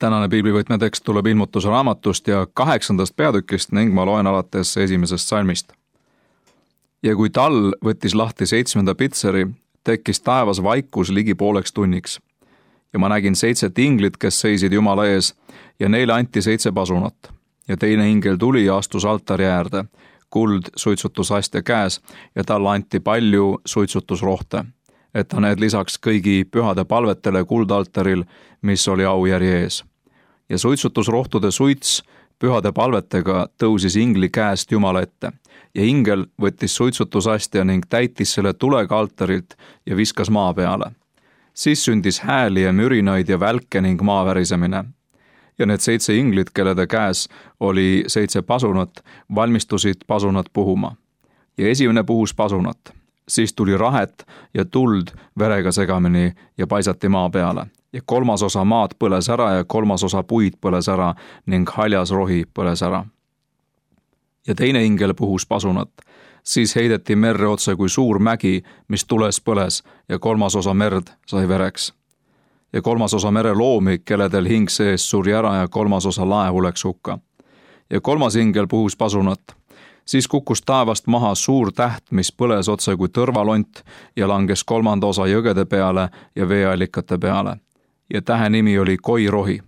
Tänane piiblivõtme tekst tuleb ilmutuse raamatust ja 8. peatükist ning ma loen alates 1. salmist. Ja kui tal võttis lahti 7. pitseri, tekkis taevas vaikus ligi pooleks tunniks. Ja ma nägin 7 inglit, kes seisid Jumala ees ja neile anti 7 pasunat. Ja teine ingel tuli ja astus altari äärde, kuld suitsutusastja käes ja talle anti palju suitsutusrohte, et ta need lisaks kõigi pühade palvetele kuldaltaril, mis oli aujärje ees. Ja suitsutusrohtude suits pühade palvetega tõusis ingli käest Jumala ette ja ingel võttis suitsutusastja ning täitis selle tulega altarilt ja viskas maa peale. Siis sündis hääli ja mürinaid ja välke ning maavärisemine. Ja need 7 inglit, kellede käes oli 7 pasunat, valmistusid pasunat puhuma. Ja esimene puhus pasunat. Siis tuli rahet ja tuld verega segamini ja paisati maa peale. Ja 3 osa maad põles ära ja 3 osa puid põles ära ning haljas rohi põles ära. Ja teine ingel puhus pasunat. Siis heideti merre otse kui suur mägi, mis tules põles ja 3 osa merd sai vereks. Ja 3 osa mere loomi, kelledel hing sees suri ära ja 3 osa laevu läks hukka. Ja 3. ingel puhus pasunat. Siis kukkus taevast maha suur täht, mis põles otse kui tõrvalont ja langes 3. osa jõgede peale ja veeallikate peale. Ja tähe nimi oli koirohi.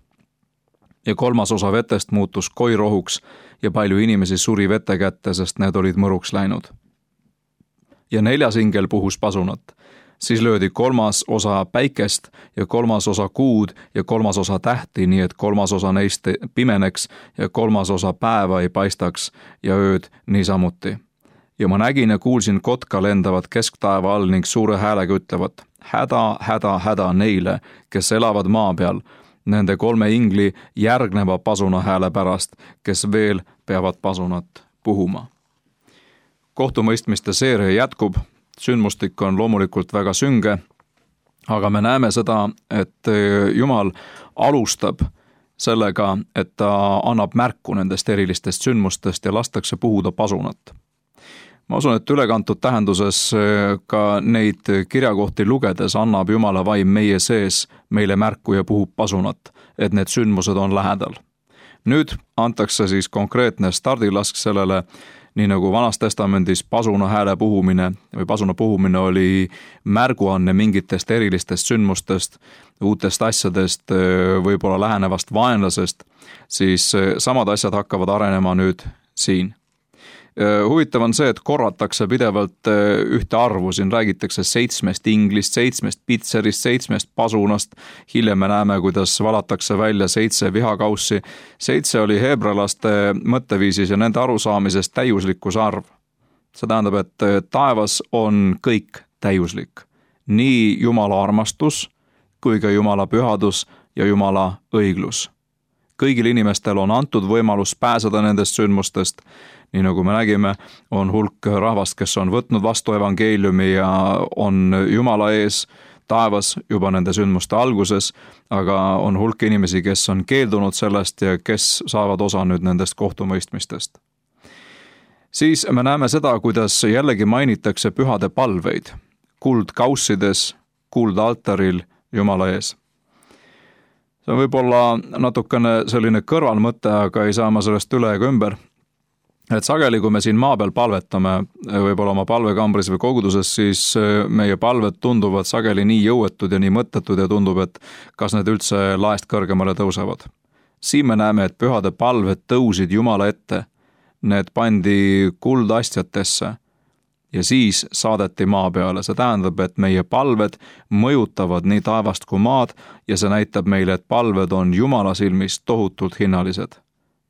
Ja 3. osa vetest muutus koirohuks ja palju inimesi suri vete kätte, sest need olid mõruks läinud. Ja 4. ingel puhus pasunat. Siis löödi 3. osa päikest ja 3. osa kuud ja 3. osa tähti, nii et 3. osa neist pimeneks ja 3. osa päeva ei paistaks ja ööd niisamuti. Ja ma nägin ja kuulsin kotka lendavat kesktaeva all ning suure häälega ütlevat: häda, häda, häda neile, kes elavad maa peal, nende 3 ingli järgneva pasuna hääle pärast, kes veel peavad pasunat puhuma. Kohtumõistmiste seeria jätkub. Sündmustik on loomulikult väga sünge, aga me näeme seda, et Jumal alustab sellega, et ta annab märku nendest erilistest sündmustest ja lastakse puhuda pasunat. Ma usun, et ülekantud tähenduses ka neid kirjakohti lugedes annab Jumala vaim meie sees meile märku ja puhub pasunat, et need sündmused on lähedal. Nüüd antakse siis konkreetne stardilask sellele, nii nagu Vanas Testamendis pasuna hääle puhumine või pasuna puhumine oli märguanne mingitest erilistest sündmustest, uutest asjadest, võib-olla lähenevast vaenlasest, siis samad asjad hakkavad arenema nüüd siin. Huvitav on see, et korratakse pidevalt ühte arvu, siin räägitakse 7 inglist, 7 pitserist, 7 pasunast, hiljem me näeme, kuidas valatakse välja 7 vihakaussi. 7 oli heebralaste mõtteviisis ja nende arusaamises täiuslikkuse arv. See tähendab, et taevas on kõik täiuslik. Nii Jumala armastus kui ka Jumala pühadus ja Jumala õiglus. Kõigil inimestel on antud võimalus pääseda nendest sündmustest. Nii nagu me nägime, on hulk rahvast, kes on võtnud vastu evangeeliumi ja on Jumala ees taevas juba nende sündmuste alguses, aga on hulk inimesi, kes on keeldunud sellest ja kes saavad osa nüüd nendest kohtumõistmistest. Siis me näeme seda, kuidas jällegi mainitakse pühade palveid, kuldkaussides, kuldaltaril Jumala ees. See on võib-olla natukene selline kõrvalmõte, aga ei saa ma sellest üle ega ümber. Et sageli, kui me siin maa peal palvetame, võib-olla oma palvekambris või koguduses, siis meie palved tunduvad sageli nii jõuetud ja nii mõttetud ja tundub, et kas need üldse laest kõrgemale tõusevad. Siin me näeme, et pühade palved tõusid Jumala ette, need pandi kuldastjatesse ja siis saadeti maa peale. See tähendab, et meie palved mõjutavad nii taevast kui maad ja see näitab meile, et palved on Jumala silmis tohutult hinnalised.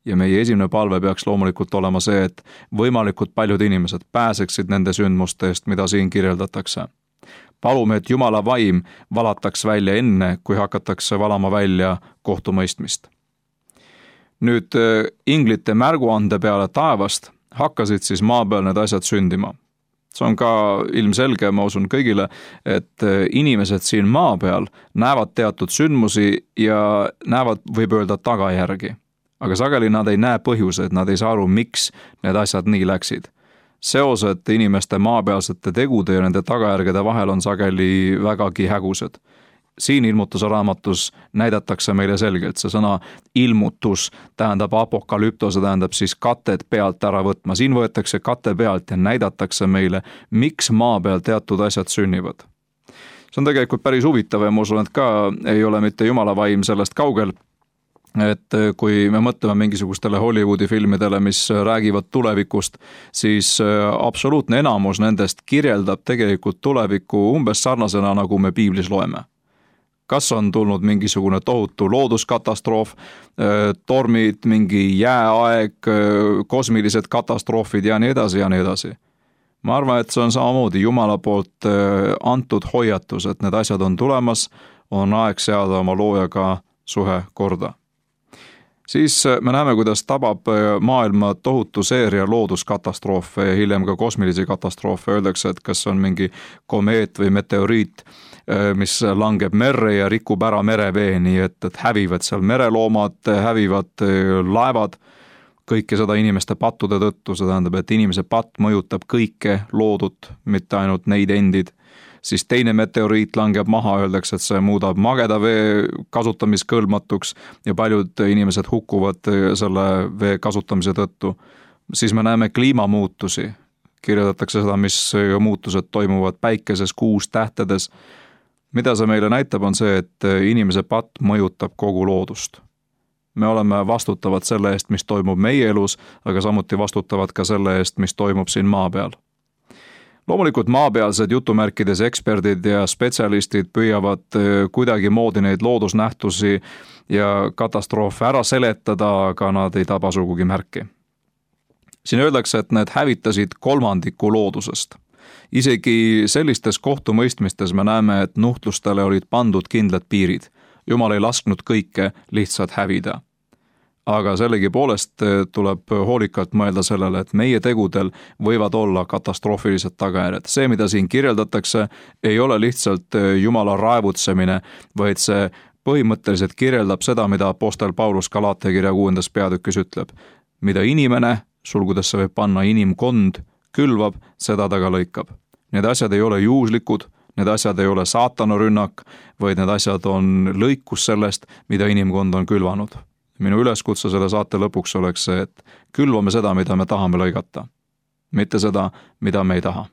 Ja meie esimene palve peaks loomulikult olema see, et võimalikult paljud inimesed pääseksid nende sündmuste eest, mida siin kirjeldatakse. Palume, et Jumala vaim valataks välja enne, kui hakatakse valama välja kohtumõistmist. Nüüd inglite märguande peale taevast hakkasid siis maa peal need asjad sündima. See on ka ilmselge, ma usun kõigile, et inimesed siin maa peal näevad teatud sündmusi ja näevad, võib öelda, tagajärgi. Aga sageli nad ei näe põhjused, nad ei saa aru, miks need asjad nii läksid. Seosed inimeste maapealsete tegude ja nende tagajärgede vahel on sageli vägagi hägused. siin ilmutuse raamatus näidatakse meile selgelt, see sõna ilmutus tähendab apokalüptose, tähendab siis katet pealt ära võtma. Siin võetakse kate pealt ja näidatakse meile, miks maa peal teatud asjad sünnivad. See on tegelikult päris huvitav ja ma usun, et ka ei ole mitte jumala vaim sellest kaugel, et kui me mõtleme mingisugustele Hollywoodi filmidele, mis räägivad tulevikust, siis absoluutne enamus nendest kirjeldab tegelikult tulevikku umbes sarnasena, nagu me piiblis loeme. Kas on tulnud mingisugune tohutu looduskatastroof, tormid, mingi jääaeg, kosmilised katastroofid ja nii edasi ja nii edasi. Ma arvan, et see on samamoodi Jumala poolt antud hoiatus, et need asjad on tulemas, on aeg seada oma loojaga suhe korda. Siis me näeme, kuidas tabab maailma tohutu seeria looduskatastroofe ja hiljem ka kosmilisi katastroofe. Öeldakse, et kas on mingi komeet või meteoriit, mis langeb merre ja rikub ära merevee, nii et hävivad seal mereloomad, hävivad laevad, kõike seda inimeste pattude tõttu. See tähendab, et inimese patt mõjutab kõike loodut, mitte ainult neid endid. Siis teine meteoriit langeb maha, öeldakse, et see muudab mageda vee kasutamiskõlbmatuks ja paljud inimesed hukkuvad selle vee kasutamise tõttu. Siis me näeme kliimamuutusi. Kirjeldatakse seda, mis muutused toimuvad päikeses, kuus, tähtedes. Mida see meile näitab, on see, et inimese patt mõjutab kogu loodust. Me oleme vastutavad selle eest, mis toimub meie elus, aga samuti vastutavad ka selle eest, mis toimub siin maa peal. Loomulikult maapealsed jutumärkides eksperdid ja spetsialistid püüavad kuidagi moodi neid loodusnähtusi ja katastroofe ära seletada, aga nad ei taba sugugi märki. Siin öeldakse, et need hävitasid 1/3 loodusest. Isegi sellistes kohtumõistmistes me näeme, et nuhtlustele olid pandud kindlad piirid. Jumal ei lasknud kõike lihtsalt hävida. Aga sellegipoolest tuleb hoolikalt mõelda sellele, et meie tegudel võivad olla katastroofilised tagajärjed. See, mida siin kirjeldatakse, ei ole lihtsalt Jumala raevutsemine, vaid see põhimõtteliselt kirjeldab seda, mida apostel Paulus Galatia kirja 6. peatükis ütleb. Mida inimene, sulgudesse võib panna inimkond, külvab, seda ta ka lõikab. Need asjad ei ole juhuslikud, need asjad ei ole saatana rünnak, vaid need asjad on lõikus sellest, mida inimkond on külvanud. Minu üleskutse selle saate lõpuks oleks see, et külvame seda, mida me tahame lõigata, mitte seda, mida me ei taha.